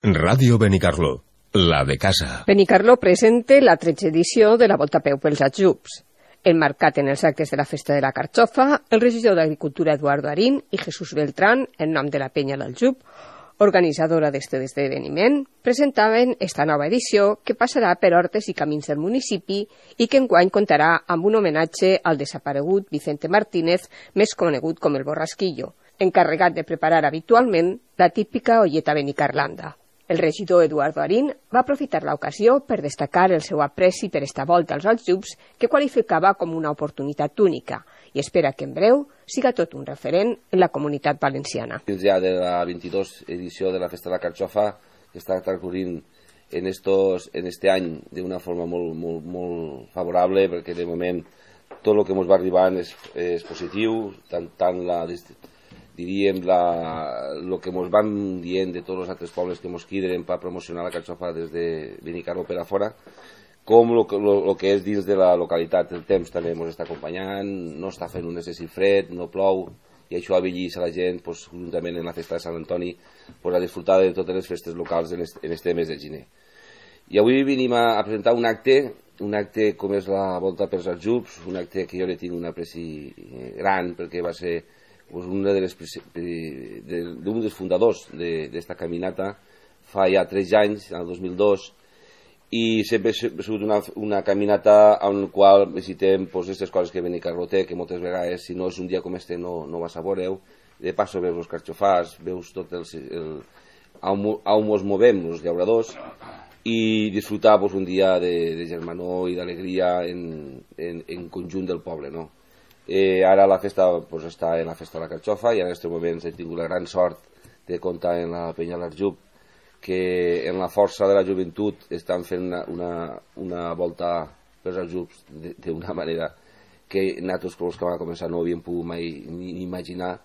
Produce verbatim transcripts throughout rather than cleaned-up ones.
Ràdio Benicarló, la de casa. Benicarló presenta la tretze edició de la Volta a Peu pels Aljubs. Emmarcat en els actes de la Festa de la Carxofa, el regidor d'Agricultura Eduardo Arín i Jesús Beltrán, en nom de la Penya l'Aljub, organitzadora d'este esdeveniment, presentaven esta nova edició que passarà per hortes i camins del municipi i que enguany comptarà amb un homenatge al desaparegut Vicente Martínez, més conegut com el Borrasquillo, encarregat de preparar habitualment la típica olleta benicarlanda. El regidor Eduardo Arín va aprofitar l'ocasió per destacar el seu apreci per esta volta als Aljubs, que qualificava com una oportunitat única, i espera que en breu siga tot un referent en la comunitat valenciana. Fins ja de la vint-i-dos edició de la Festa de la Carxofa, que està transcorrint en, estos, en este any d'una forma molt, molt, molt favorable, perquè de moment tot el que ens va arribant és, és positiu, tant, tant la diríem el que ens van dient de tots els altres pobles que ens quiden per promocionar la Carxofa des de Benicarló per a fora, com el que és dins de la localitat. El temps també ens està acompanyant, no està fent un excessiu fred, no plou, i això avellís a la gent, pues, juntament en la festa de Sant Antoni, pues, a disfrutar de totes les festes locals en este, en este mes de gener. I avui venim a, a presentar un acte, un acte com és la Volta pels Aljubs, un acte que jo li tinc un apreci gran, perquè va ser pues, un de les, de, d'un dels fundadors d'esta de, caminata fa ja tres anys, el dos mil dos, i sempre ha sigut una, una caminata en la qual visitem aquestes pues, coses que Benicarló té, que moltes vegades, si no és un dia com este, no, no vas a veure-ho. De passo veus els carxofars, veus tot el, el, on, on ens movem, els llauradors, i disfrutar pues, un dia de, de germanor i d'alegria en, en, en conjunt del poble, no? Eh, ara la festa pues, està en la Festa de la Carxofa i en aquests moments he tingut la gran sort de comptar en la Penya l'Aljub, que en la força de la joventut estan fent una, una, una volta pels Aljubs d'una manera que nosaltres, els que vam començar, no havíem pogut mai ni, ni imaginar.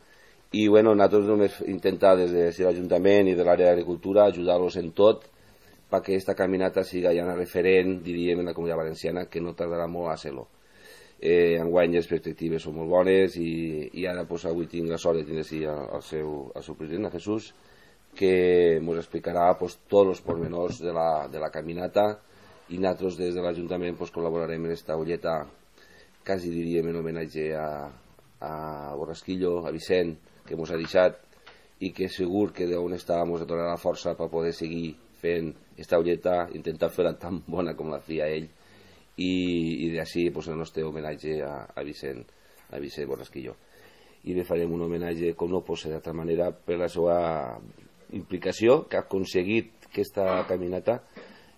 I bueno, nosaltres només intentar des de l'Ajuntament i de l'àrea d'Agricultura ajudar-los en tot perquè aquesta caminata siga ja una referent, diríem, en la comunitat valenciana, que no tardarà molt a ser-lo. Eh, enguany les perspectives són molt bones i, i ara pues, avui tinc la sort de tindre sí, el, seu, el seu president, el Jesús, que ens explicarà pues, tots els pormenors de la, de la caminata i nosaltres des de l'Ajuntament pues, col·laborarem en aquesta olleta, quasi diríem en homenatge a, a Borrasquillo, a Vicent, que ens ha deixat i que segur que d'on està ens donarà la força per poder seguir fent aquesta olleta, intentar fer-la tan bona com la feia ell, i, i d'ací pues, el nostre homenatge a, a Vicent a Vicent Borrasquillo, i li farem un homenatge com no pot ser d'altra manera per la seva implicació que ha aconseguit aquesta caminata.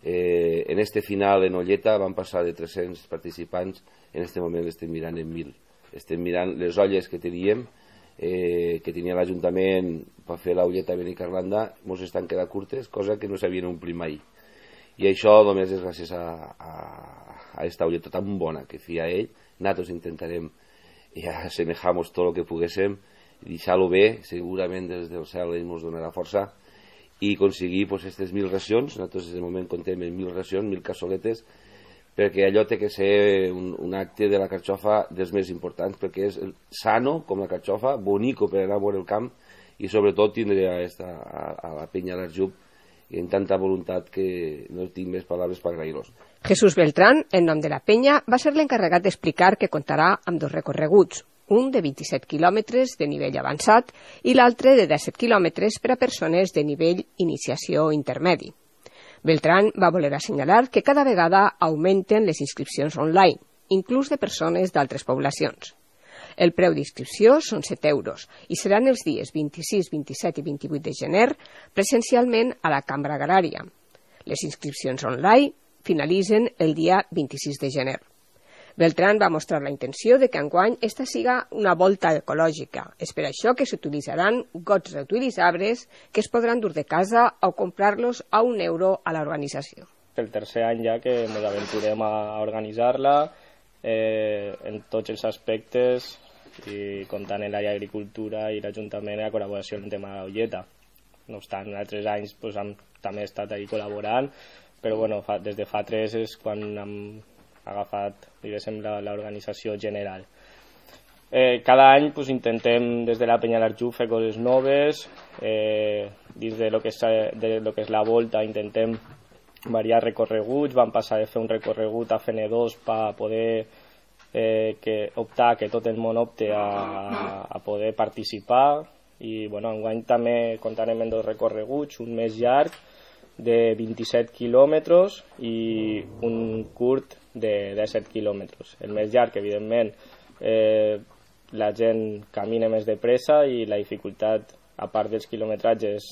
Eh, en este final en olleta van passar de tres-cents participants, en este moment estem mirant en mil, estem mirant les olles que teníem eh, que tenia l'Ajuntament per fer l'olleta benicarlanda, ens estan quedant curtes, cosa que no s'havien omplit mai, i això només és gràcies a, a a esta olleta tan bona que feia ell. Nosaltres intentarem ja assemejar-nos tot el que poguéssim i deixar-lo bé, segurament des del cel ell ens donarà força i aconseguir pues, aquestes mil racions. Nosaltres de moment contem en mil racions, mil cassoletes, perquè allò té que ser un, un acte de la carxofa dels més importants, perquè és sano com la carxofa, bonico per anar a veure el camp i sobretot tindre a, esta, a, a la Penya l'Aljub i en tanta voluntat que no tinc més paraules per agrair-los. Jesús Beltrán, en nom de la Penya, va ser l'encarregat d'explicar que comptarà amb dos recorreguts, un de vint-i-set quilòmetres de nivell avançat i l'altre de disset quilòmetres per a persones de nivell iniciació intermedi. Beltrán va voler assenyalar que cada vegada augmenten les inscripcions online, inclús de persones d'altres poblacions. El preu d'inscripció són set euros i seran els dies vint-i-sis, vint-i-set i vint-i-vuit de gener presencialment a la Cambra Agrària. Les inscripcions online finalitzen el dia vint-i-sis de gener. Beltrán va mostrar la intenció de que enguany esta siga una volta ecològica. És per això que s'utilitzaran gots reutilitzables que es podran dur de casa o comprar-los a un euro a l'organització. El tercer any ja que ens aventurem a organitzar-la eh, en tots els aspectes i comptant en l'àrea d'Agricultura i l'Ajuntament a col·laboració en el tema de l'olleta. No obstant, en altres anys pues, hem també estat ahí col·laborant, però bueno, fa, des de fa tres és quan hem agafat l'organització general. Eh, cada any pues, intentem des de la Penya l'Arjú fer coses noves, eh, dins de lo, que és, de lo que és la volta intentem variar recorreguts, vam passar de fer un recorregut a F N dos per poder eh, que optar, que tot el món opte a, a poder participar, i bueno, enguany també comptarem en dos recorreguts, un més llarg de vint-i-set quilòmetres i un curt de disset quilòmetres. El més llarg, evidentment, eh, la gent camina més de pressa i la dificultat, a part dels quilometratges,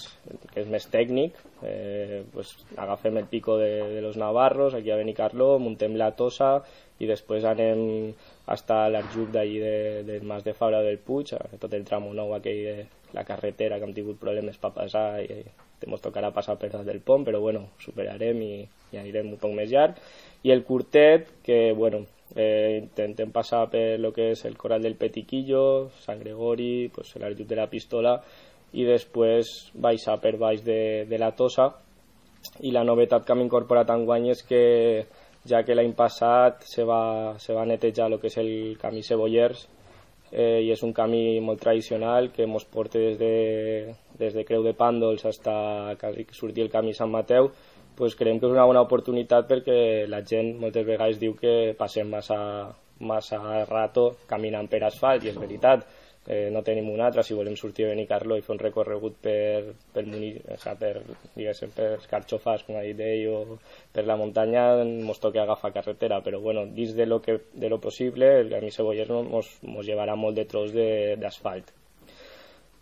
que és més tècnic, eh, pues, agafem el pico de, de los Navarros, aquí a Benicarló, muntem la Tossa i després anem hasta l'Arjup d'allí de, del Mas de Fabra del Puig, tot el tramo nou aquell de la carretera, que hem tingut problemes per passar i ens tocarà passar per dalt del pont, però bueno, superarem i, i anirem un poc més llarg. I el curtet, que bueno, eh, intentem passar per lo que és el Corral del Petiquillo, Sant Gregori, pues, l'Arjup de la Pistola, i després baixar per baix de, de la Tossa. I la novetat que hem incorporat enguany és que, ja que l'any passat se va, se va netejar el que és el camí Cebollers, eh, i és un camí molt tradicional que ens porta des de, des de Creu de Pàndols fins a sortir el camí Sant Mateu, pues creiem que és una bona oportunitat perquè la gent moltes vegades diu que passem massa, massa rato caminant per asfalt, i és veritat. Eh, no tenim un altre, si volem sortir a Benicarló i fer un recorregut per, per, o sea, per, diguéssim, per Carxofars, com ha dit ell, o per la muntanya, ens toca agafar carretera, però bueno, dins de lo, que, de lo possible, el camí Cebollers ens llevarà molt de tros d'asfalt.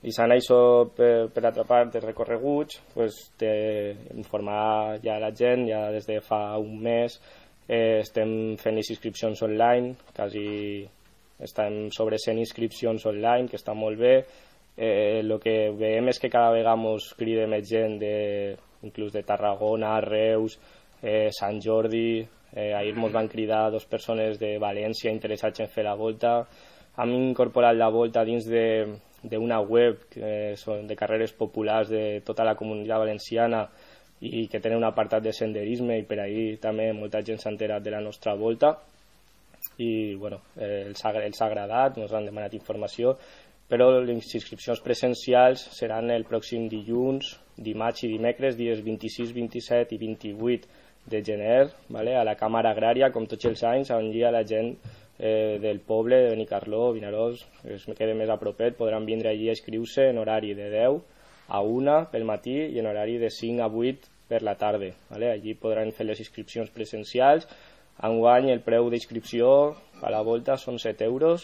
I s'han això per, per altra part dels recorreguts, pues, informar ja la gent, ja des de fa un mes eh, estem fent les inscripcions online, quasi estem sobre cent inscripcions online, que està molt bé. El eh, que veiem és que cada vegada ens crida més gent, de, inclús de Tarragona, Reus, eh, Sant Jordi. Eh, ahir ens van cridar dos persones de València interessats en fer la volta. Hem incorporat la volta dins d'una web que són de carreres populars de tota la comunitat valenciana i que tenen un apartat de senderisme, i per ahir també molta gent s'ha enterat de la nostra volta. I bueno, eh, els, ha, els ha agradat, ens han demanat informació, però les inscripcions presencials seran el pròxim dilluns, dimarts i dimecres, dies vint-i-sis, vint-i-set i vint-i-vuit de gener, vale? A la Càmera Agrària, com tots els anys, on hi ha la gent eh, del poble de Benicarló, Vinaròs, que es queda més a propet, podran vindre allí a inscriure en horari de deu a una pel matí i en horari de cinc a vuit per la tarda. Vale? Allí podran fer les inscripcions presencials. Enguany el preu d'inscripció a la volta són set euros,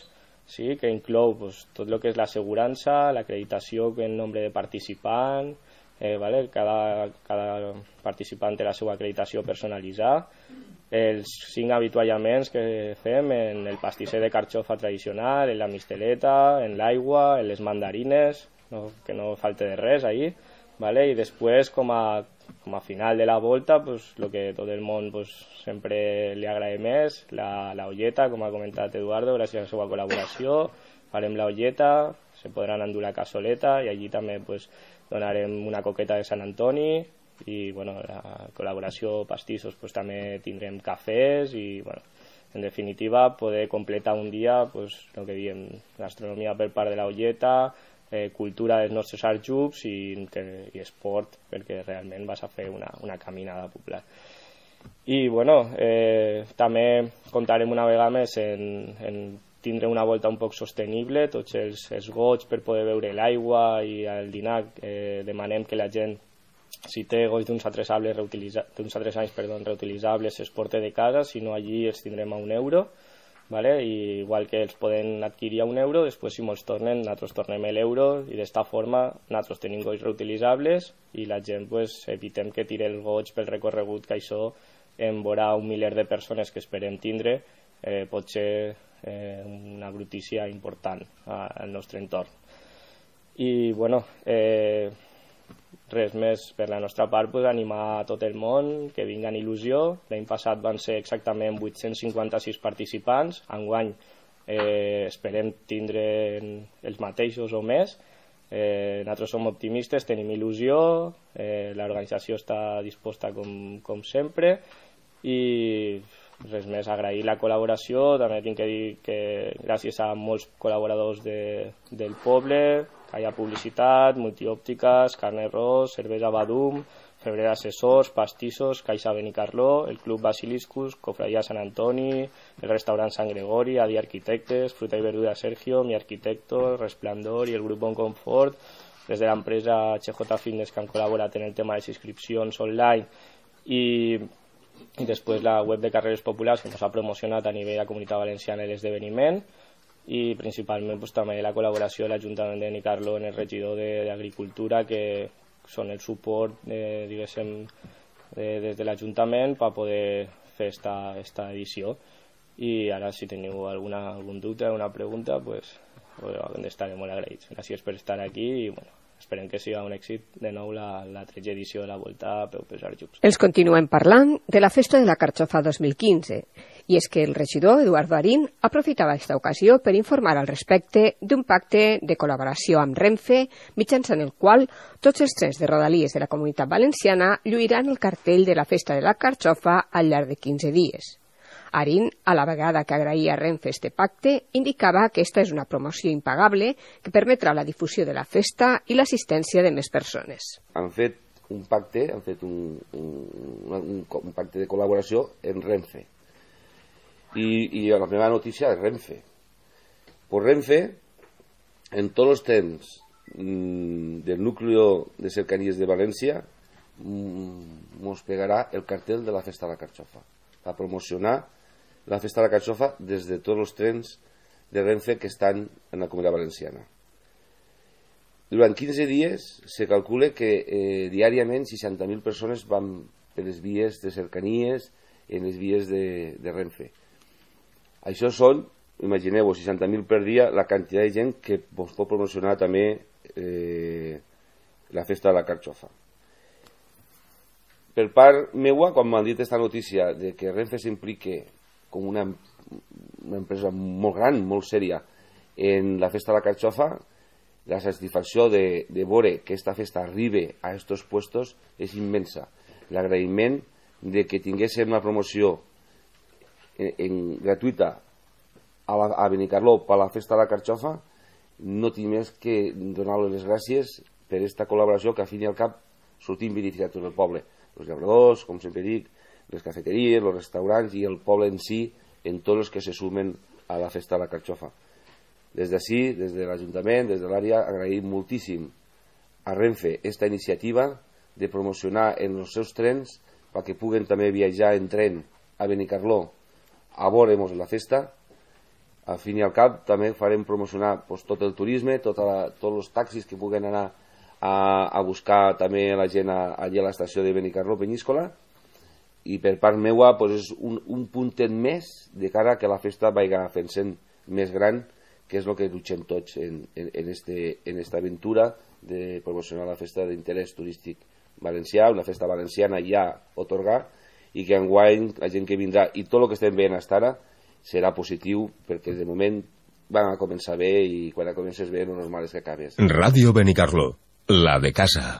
sí, que inclou pues, tot el que és l'assegurança, l'acreditació en nombre de participants, eh, vale? cada, cada participant té la seva acreditació personalitzada, els cinc avituallaments que fem en el pastisser de carxofa tradicional, en la misteleta, en l'aigua, en les mandarines, no, que no falte de res ahí, vale? I després com a com a final de la volta, pues, lo que tot el món pues, sempre li agrada més, la, la olleta, com ha comentat Eduardo, gràcies a la seva col·laboració, farem la olleta, se podran endur la cassoleta i allí també pues, donarem una coqueta de Sant Antoni i bueno, la col·laboració pastissos pues, també tindrem cafès i bueno, en definitiva poder completar un dia pues, el que diem, gastronomia per part de la olleta, Eh, cultura dels nostres arjups i, que, i esport, perquè realment vas a fer una, una caminada popular. I bueno, eh, també comptarem una vegada més en, en tindre una volta un poc sostenible, tots els, els gots per poder beure l'aigua i al dinar eh, demanem que la gent, si té gots d'uns altres anys perdó, reutilitzables, es porte de casa, si no allí els tindrem a un euro. Vale? I igual que els poden adquirir a un euro, després si molts tornen, nosaltres tornem l'euro i d'esta forma nosaltres tenim gots reutilitzables i la gent pues, evitem que tire els gots pel recorregut, que això en veurà un miler de persones que esperem tindre, eh, pot ser eh, una brutícia important al nostre entorn. I bueno, eh, res més per la nostra part, pues, animar a tot el món que vinga en il·lusió. L'any passat van ser exactament vuit-cents cinquanta-sis participants, enguany eh, esperem tindre els mateixos o més. Eh, nosaltres som optimistes, tenim il·lusió, eh, l'organització està disposta com, com sempre i res més, agrair la col·laboració, també tinc que dir que gràcies a molts col·laboradors de, del poble, que hi ha publicitat, multiòptiques, Carnet Ros, Cervesa Badum, Febrer d'Assessors, Pastissos, Caixa Benicarló, el Club Basiliscus, Cofradía Sant Antoni, el Restaurant Sant Gregori, Adi Arquitectes, Fruta i Verdura Sergio, Mi Arquitecto, Resplandor i el Grup Bon Confort, des de l'empresa H J Fitness que han col·laborat en el tema de les inscripcions online i, i després la web de Carreres Populars que ens ha promocionat a nivell de la Comunitat Valenciana l'esdeveniment i principalment pues, també la col·laboració de l'Ajuntament de Benicarló en el regidor d'Agricultura que són el suport eh, diguéssim de, des de l'Ajuntament per poder fer esta, esta edició i ara si teniu alguna, algun dubte, alguna pregunta pues, pues estaré molt agraïts. Gràcies per estar aquí i bueno, esperem que siga un èxit de nou la, la tretze edició de la Volta a Peu Pesar Jux. Els continuem parlant de la Festa de la Carxofa dos mil quinze i és que el regidor Eduardo Arín aprofitava aquesta ocasió per informar al respecte d'un pacte de col·laboració amb Renfe mitjançant el qual tots els trens de rodalies de la Comunitat Valenciana lluiran el cartell de la Festa de la Carxofa al llarg de quinze dies. Arín, a la vegada que agraïa a Renfe este pacte, indicava que aquesta és una promoció impagable que permetrà la difusió de la festa i l'assistència de més persones. Han fet un pacte, han fet un, un, un, un pacte de col·laboració en Renfe. I, i la primera notícia és Renfe. Pues Renfe, en tots els trens mmm, del núcleo de cercanías de València, mmm, mos pegarà el cartel de la Festa de la Carxofa, a promocionar la Festa de la Carxofa des de tots els trens de Renfe que estan en la Comunitat Valenciana. Durant quinze dies se calcula que eh, diàriament seixanta mil persones van per les vies de cercanies en les vies de, de Renfe. Això són, imagineu-vos, seixanta mil per dia, la quantitat de gent que vos pot promocionar també eh, la Festa de la Carxofa. Per part meua, quan m'han dit aquesta notícia de que Renfe s'implique com una, una empresa molt gran, molt sèria, en la Festa de la Carxofa, la satisfacció de, de veure que aquesta festa arribi a aquests puestos és immensa. L'agraïment de que tinguéssim una promoció en, en, gratuïta a, la, a Benicarló per la Festa de la Carxofa, no tinc més que donar-los les gràcies per aquesta col·laboració que, a fin i al cap, sortim beneficiats tot el poble. Els llauradors, com sempre dic, les cafeteries, els restaurants i el poble en si, en tots els que se sumen a la Festa de la Carxofa. Des d'ací, des de l'Ajuntament, des de l'àrea, agraïm moltíssim a Renfe esta iniciativa de promocionar en els seus trens perquè puguen també viatjar en tren a Benicarló a veure la festa. Al fin i al cap també farem promocionar pues, tot el turisme, tota la, tots els taxis que puguen anar a, a buscar també la gent allà a l'estació de Benicarló Penyíscola. I per part meua pues, és un, un puntet més de cara que la festa vagi fent-se més gran, que és el que luchem tots en, en, en, este, en esta aventura de promocionar la festa d'interès turístic valencià, una festa valenciana ja otorgar, i que enguany la gent que vindrà i tot el que estem veient fins ara serà positiu, perquè de moment van a començar bé i quan comences bé no és normal que acabes. Ràdio Benicarló, la de casa.